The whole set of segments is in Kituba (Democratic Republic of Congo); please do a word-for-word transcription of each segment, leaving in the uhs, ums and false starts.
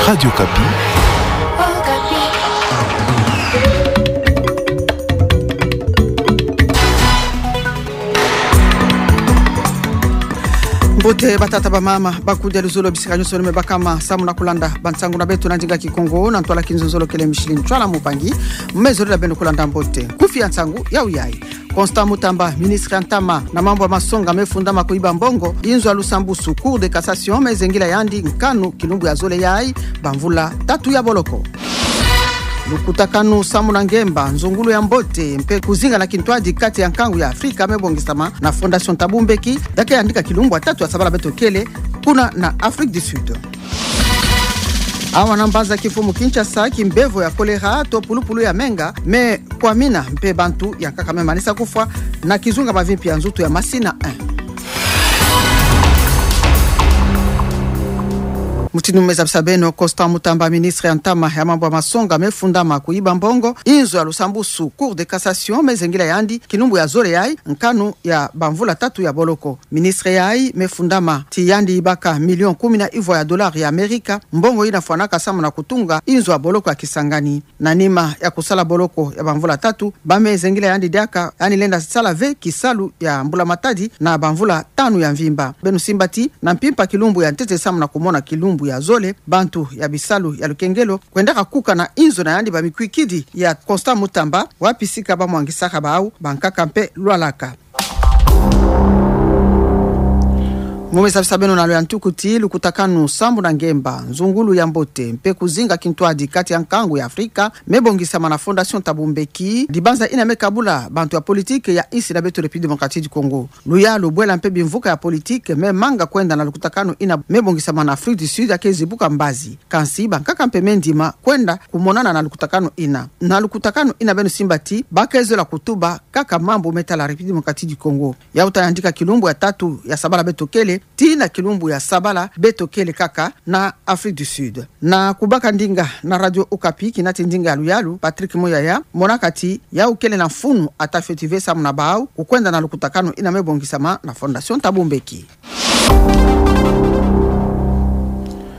Radio Okapi. Mbote batata, bamama, bakudia, luzolo bisika nyonso me bakama samu na kulanda bansangu na beto na ndinga Kikongo na ntwala kinzonzolo. Kele Micheline Ntwala Mupangi, me zolila beno kulanda mbote. Kufi ya nsangu ya uyayi. Constant Mutamba, ministre ya ntama na mambu ya masonga, me fundama kuyiba mbongo. Inzo ya lusambusu, Cour de cassation, me zengila yandi nkanu kilumbu ya zole yayi bamvula tatu ya boloko. Lukutakanu samu na ngemba, nzungulu ya mbote mpe kuzinga na kintwadi kati ya nkangu ya Afrika me bongisama na Fondation Thabo Mbeki, ya ke yandika kilumbu ya tatu ya sabala beto kele kuna na Afrique du Sud. Awa na mbanza kimfumu Kinshasa, kimbevo ya choléra to pulupulu ya menga me kwamina, mpe bantu ya nkaka me manisa kufwa na kizunga mavimpi ya nzutu ya Masina un. Mutindu me zabisa beno, Constant Mutamba, ministre ya ntama ya mambu ya masonga, me fundama kuyiba mbongo. Inzo ya lusambusu, Cour de cassation, me zengila yandi kilumbu ya zole yayi nkanu ya bamvula tatu ya boloko. Ministre yayi me fundama ti yandi yibaka million kumi na ivwa ya dollars ya Amerika, mbongo yina fwanaka samu na kutunga inzo ya boloko ya Kisangani. Na nima ya kusala boloko ya bamvula tatu, ba me zengila yandi diaka, yandi lenda sala ve kisalu ya mbula matadi na bamvula tanu ya mvimba. Beno simba ti na mpimpa kilumbu ya ntete samu na kumona kilumbu ya zole, bantu ya bisalu ya lukengelo kwendaka kuka na inzo na yandi bamikwikidi ya Constant Mutamba, wapi sika bamwangisaka bawu, bankaka mpe lwalaka. Mu me zabisa beno na lo ya ntuku ti lukutakanu sambu na ngemba, nzungulu ya mbote mpe kuzinga kintwadi kati ya nkangu ya Afrika me bongisama na Fondation Thabo Mbeki, dibanza yina me kabula bantu ya politike ya insi na beto République Démocratique du Congo. Luyalu, bwela mpe bimvuka ya politike me manga kwenda na lukutakanu yina me bongisama na Afrique du Sud ya ke zibuka mbazi. Kansi bankaka mpe me ndima kwenda kumonana na lukutakanu yina. Na lukutakanu yina beno simba ti ba ke zola kutuba kaka mambu me tala République Démocratique du Congo. Yawu ta yandika kilumbu ya tatu ya sabala beto kele, tii na kilumbu ya sabala beto kele kaka na Afrique du Sud. Na kubaka ndinga na Radio Okapi, kinati ndinga ya luyalu, Patrick Muyaya, monaka ti yawu kele na mfunu ata fioti ve samu na bawu kukwenda na lukutakanu yina me bongisama na Fondation Thabo Mbeki.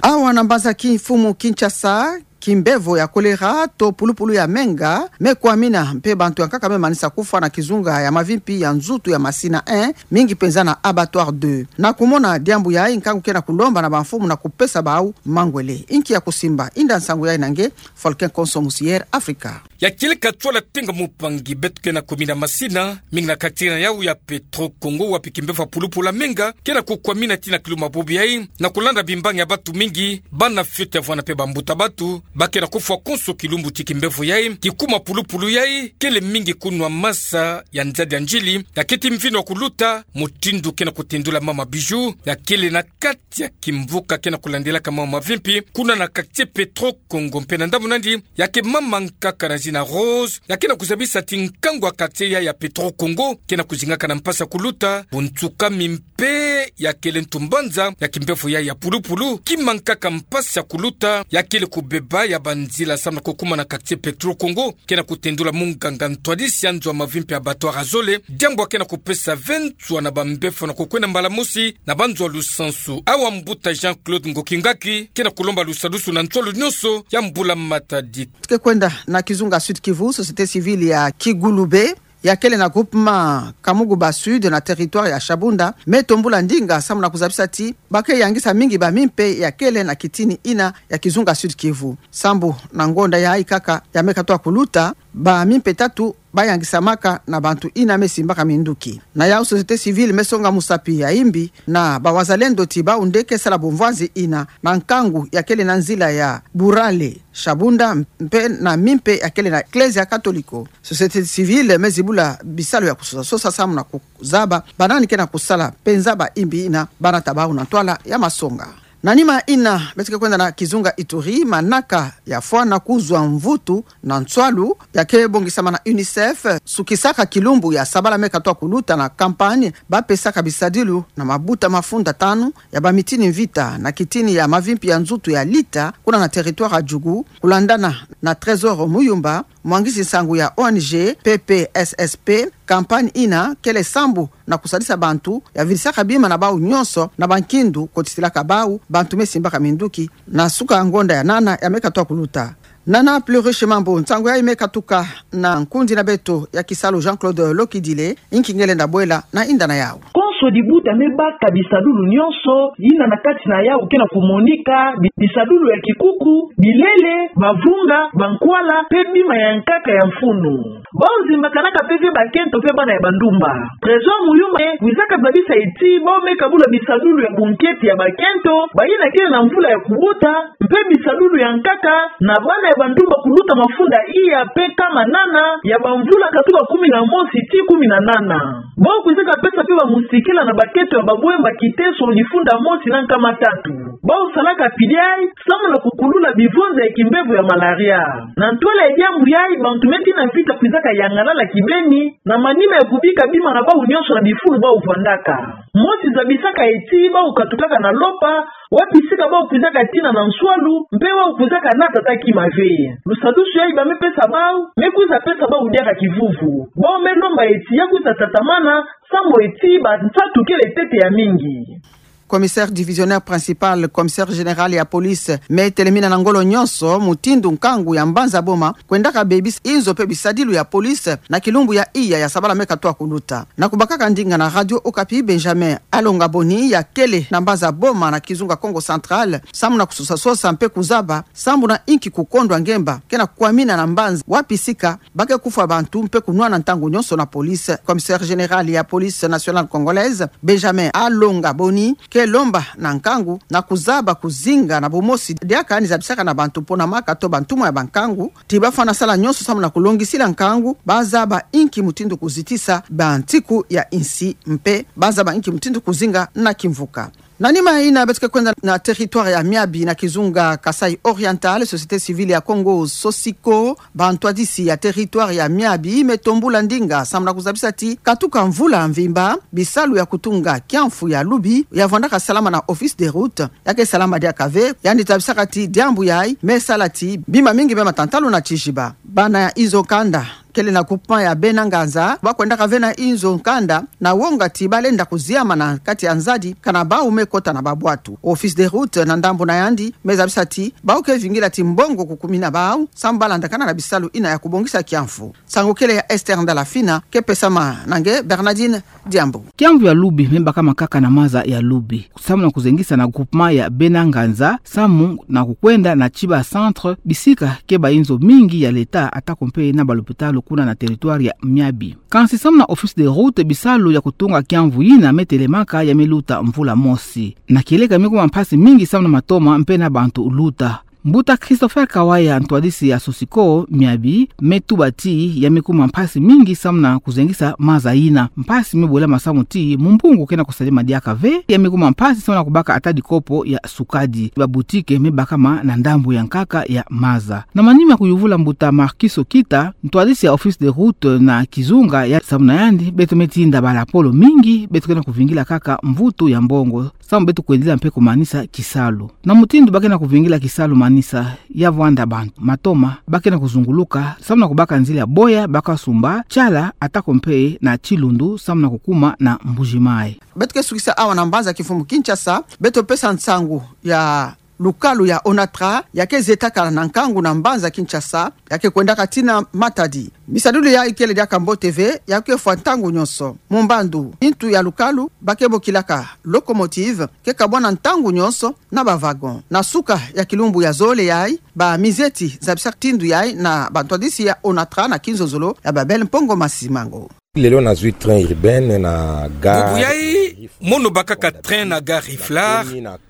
Awa na mbanza kimfumu Kinshasa, kimbevo ya choléra to pulupulu ya menga me kwamina, mpe bantu ya nkaka me manisa kufwa na kizunga ya mavimpi ya nzutu ya Masina un, mingi penza na Abattoir deux. Na kumona diambu yayi, nkangu ke na kulomba na bamfumu na kupesa bawu mangwele. Inki ya kusimba? Inda nsangu yayi na nge, Volcan Konso Musier Afrika. Ya kele ka twala tenga mupangi, beto ke na commune ya Masina, mingi na quartier na yawu ya Petro Congo, wapi kimbevo ya pulupulu ya menga ke na kukwamina tii na kilumbu ya bobo yayi, na kulanda bimbangi ya bantu mingi, bana fioti ya vwanda mpe bambuta bantu, ba ke na kufwa konso kilumbu ti kimbevo yayi kikuma pulupulu yayi, kele mingi kunwa masa ya nzadi ya ndjili, ya keti mvino ya kuluta, mutindu ke na kutendula mama Bijou, ya kele na kati ya kimvuka ke na kulandilaka mama mavimpi, kuna na quartier Petro Congo. Mpe na ndambu nandi, ya ke mama nkaka na zina Rose, ya ke na kuzabisa ti nkangu ya quartier yayi ya Petro Congo ke na kuzingaka na mpasi ya kuluta, buntsukami mpe ya kele ntu mbanza ya kimbevo yayi ya pulupulu, kima nkaka mpasi ya kuluta ya kele kubeba ya banzila samu na kukuma na quartier Petro Congo, ke na kutendula munganga ntwadisi ya nzo ya mavimpi ya Abattoir ya zole, diambu ya ke na kupesa ve nswa na bambefo na kukwenda mbala mosi na banzo ya lusansu. Awa mbuta Jean-Claude Ngoki Ngaki ke na kulomba lusadusu na nswalu nyonso ya mbula matadi. Tuke kwenda na kizunga Sud-Kivu, société civile ya Kigulube, ya kele na groupement Kamuguba Sud na territoire ya Shabunda, me tombula ndinga samu na kuzabisa ti ba ke yangisa mingi bamimpe ya kele na kitini yina ya kizunga Sud-Kivu. Sambu na ngonda yayi kaka ya me katoa kuluta, bamimpe tatu ba yangisamaka na bantu yina me simbaka minduki. Na yawu, société civile me songa musapi ya imbi na bawazalendo ti bawu nde ke sala bumvwanzi yina na nkangu ya kele na nzila ya Burale Shabunda, mpe na mimpe ya kele na Eklezia Katoliko. Société civile me zibula bisalu ya kusosa sosa samu na kuzaba banani ke na kusala penza ba imbi yina ba nata bawu na ntwala ya masonga. Na nima yina, beto ke kwenda na kizunga Ituri, manaka ya fwana kuzwa mvutu na nswalu ya ke bongisama na UNICEF, sukisaka kilumbu ya sabala me katoa kuluta na campagne ba pesaka bisadilu na mabuta mafunda tanu ya bamitini mvita na kitini ya mavimpi ya nzutu ya lita, kuna na territoire ya Djugu, kulandana na Trésor Muyumba, Mwangisi nsangu ya O N G P P S S P, kampani ina kele sambu na kusadisa bantu ya vidisaka bima na bau nyonso na bankindu kotitilaka bau bantu me simbaka minduki na suka ngonda ya nana ya me katuka kuluta. Nana Pluriche Mambu, nsangu yayi me katuka na nkundi na beto ya kisalu Jean-Claude Lokidile, inki ngelenda bwela na inda na yau. Konso dibuta me baka bisadulu nyonso yina na kati na yau ke na kumonika, bi-, bisadulu ya kikuku, bilele, bavunga, bankwala, pe bima ya nkaka ya mfunu. Bau zimbakanaka pe ve bakento pe bana ya bandumba. Trésor Muyumba kwizaka zabisa ti bau me kabula bisadulu ya bunkete ya bakento, bayina kele na mvula ya kubuta, mpe bisadulu ya nkaka na bana ya bandumba kuluta mafunda iya pe kama nana ya bamvula katuka kumi na mosi ti kumi na nana. Bau kwizaka pesa pe bamusikila na bakento ya babwemba kiteso difunda mosi na nkama tatu. Bau salaka piliai samu na kukulula bivonza ya kimbevo ya malaria. Na ntwala ya diambu yayi, bantu me tina vita kwizaka yangalala kibeni na manima ya kubika bima na bau nyonso na bifulu bau vandaka. Mosi zabisaka ti bau katukaka na lopa, wapi sika bau kwizaka tina na nswalu, mpe bau kwizaka nata ata kima ve. Lusadusu yayi ba me pesa bau, me kwiza pesa bau diaka kivuvu. Bau me lomba ti ya kwiza tatamana, samu ti ba nsatu kele ntete ya mingi. Commissaire divisionnaire principal, commissaire général ya police, me telemina na ngolo nyonso mutindu nkangu ya mbanza boma kwendaka bebisa inzo pe bisadilu ya police na kilumbu ya iya ya sabala me katuka kuluta. Na kubakaka ndinga na Radio Okapi, Benjamin Alonga Boni, ya kele na mbanza boma na kizunga Kongo Central, samu na kusosa-sosa mpe kuzaba sambu na inki kukondwa ngemba ke na kukwamina na mbanza, wapi sika ba ke kufwa bantu mpe kunwana ntangu nyonso na police. Commissaire général ya police nationale congolaise, Benjamin Alonga Boni, ke lomba na nkangu na kuzaba kuzinga na bumosi diaka ni zabisaka na bantu mpo na maka to bantumwa ya bankangu, ti ba fwana sala nyonso samu na kulongisila nkangu, ba zaba inki mutindu kuzitisa bantiku ya insi mpe ba zaba inki mutindu kuzinga na kimvuka. Na nima ina, beto ke kwenda na territoire ya Miabi na kizunga Kasaï Oriental, société civile ya Kongo, Sosiko, bantwadisi ya territoire ya Miabi me tombula ndinga samu na kuzabisa ti katuka mvula mvimba, bisalu ya kutunga kiamfu ya lubi ya vandaka salama na office de route ya ke salama diaka ve. Yandi zabisaka ti diambu yayi me sala ti bima mingi me matantalu na tiziba. Bana ya inzo kanda kele na groupement ya Bena Nganza, ba kwendaka ve na inzo kanda na wonga ti ba lenda kuziama na kati ya nzadi, kana bau me kota na babwatu. Office de route na ndambu na yandi me zabisa ti bau ke vingila ti mbongo kukumina bau samu ba landakana na bisalu ina ya kubongisa kiamfu. Nsangu kele ya Esther Ndalafina, ke pesama na nge Bernardine Diambu. Kiamvu ya lubi me bakama kaka na maza ya lubi, samu na kuzengisa na groupement ya Bena Nganza, samu na kukwenda na Chiba Centre, bisika ke ba inzo mingi ya l'État, atako mpe na ba lopitalo kuna na territoire ya Miabi. Kansi samu na office de route, bisalu ya kutunga kiamvu yina me telemaka ya me luta mvula mosi. Na kieleka me kuma mpasi mingi samu na matoma mpe na bantu luta. Mbuta Christopher Kawaya, ntwadisi ya Sosiko Miabi, me tuba ti ya me kuma mpasi mingi samu na kuzengisa maza yina. Mpasi me bolama samu ti mumbungu ke na kusalema diaka ve, ya me kuma mpasi samu na kubaka ata dikopo ya sukadi. Ba boutique me bakama na ndambu ya nkaka ya maza. Na manima kuyuvula mbuta Marcus Okita, ntwadisi ya office de route na kizunga ya, samu na yandi, beto me tinda ba lapolo mingi, beto ke na kuvingila kaka mvutu ya mbongo samu beto kwendila mpe kumanisa kisalu. Na mutindu ba ke na kuvingila kisalu manisa ya vwanda bantu matoma, ba ke na kuzunguluka samu na kubaka nzila boya ba kasumba Tshala atako mpe na Tshilundu samu na kukuma na Mbuji-Mayi. Beto ke sukisa awa na mbanza kimfumu Kinshasa, beto pesa nsangu ya lukalu ya Onatra, ya ke zietaka na nkangu na mbanza Kinshasa, ya ke kwendaka tii na Matadi. Bisadulu yayi kele diaka mbote ve, ya ke fwa ntangu nyonso. Mumbandu, intu ya lukalu ba ke bokilaka locomotive, ke kabwana ntangu nyonso na ba wagon. Na suka ya kilumbu ya zole yayi, ba mizieti zabisa tindu yayi na bantwadisi ya Onatra na kinzonzolo ya Babel Mpongo Masimango. Lelo nazwi train urbaine na gare. Bubu yayi, mono bakaka train na gare Rive-Lart,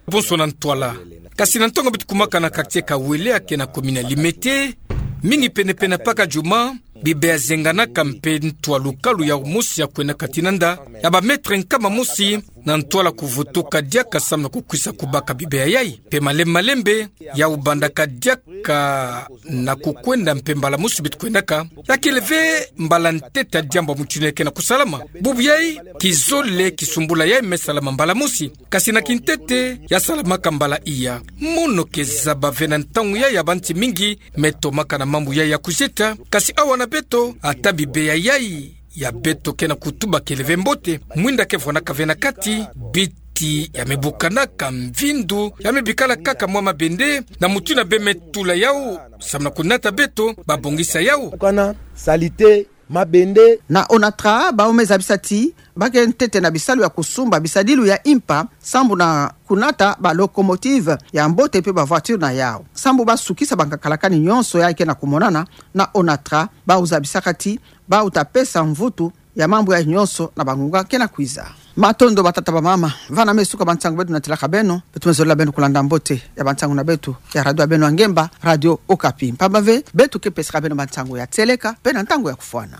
bonso na ntwala. Kasi na ntangu beto kumaka na quartier Kawele ya ke na commune ya Limete, mingi pene-pene paka juma, bibe ya zenganaka mpe ntu ya lukalu ya mosi ya kwendaka tii na nda, ya ba mètre nkama mosi, na ntwala kuvutuka diaka samu na kukwisa kubaka bibe ya yai. Mpe malembe malembe, ya ubandaka diaka na kukwenda mpe mbala mosi beto kwendaka, ya kele ve mbala ntete ya diambu ya mutindu yai ke na kusalama. Bubu yai, kizole kisumbula yai me salama mbala mosi. Kasi na kintete, ya salamaka mbala iya. Mono ke zaba ve na ntangu yai ya banti mingi me tomaka na mambu yai ya kuzieta, kasi awa na beto, ata bibe ya yai ya beto ke na kutuba kele ve mbote, mwinda ke vwanaka ve na kati, biti ya me bukanaka, mvindu ya me bikala kaka mwa mabende, na mutindu na bê me tula yau, samu na kunata beto, babongisa yau. Kana salite, mabende. Na ONATRA, bawu me zabisa ti, ba ke ntete na bisalu ya kusumba bisadilu ya impa, sambu na kunata ba locomotive ya mbote mpe ba voiture na yau. Sambu ba sukisa bankakalakani nyonso yai ke na kumonana, na ONATRA, bawu zabisaka ti, bawu ta pesa mvutu ya mambu yai nyonso na bangunga ke na kwiza. Matondo batata bamama, vana me suka bansangu beto natilaka beno, beto me zolela beno kulanda mbote ya bansangu na beto, ya radio ya beno ya ngemba, Radio Okapi. Mpamba ve, beto ke pesaka beno bansangu ya tieleka, mpe na ntangu ya kufwana.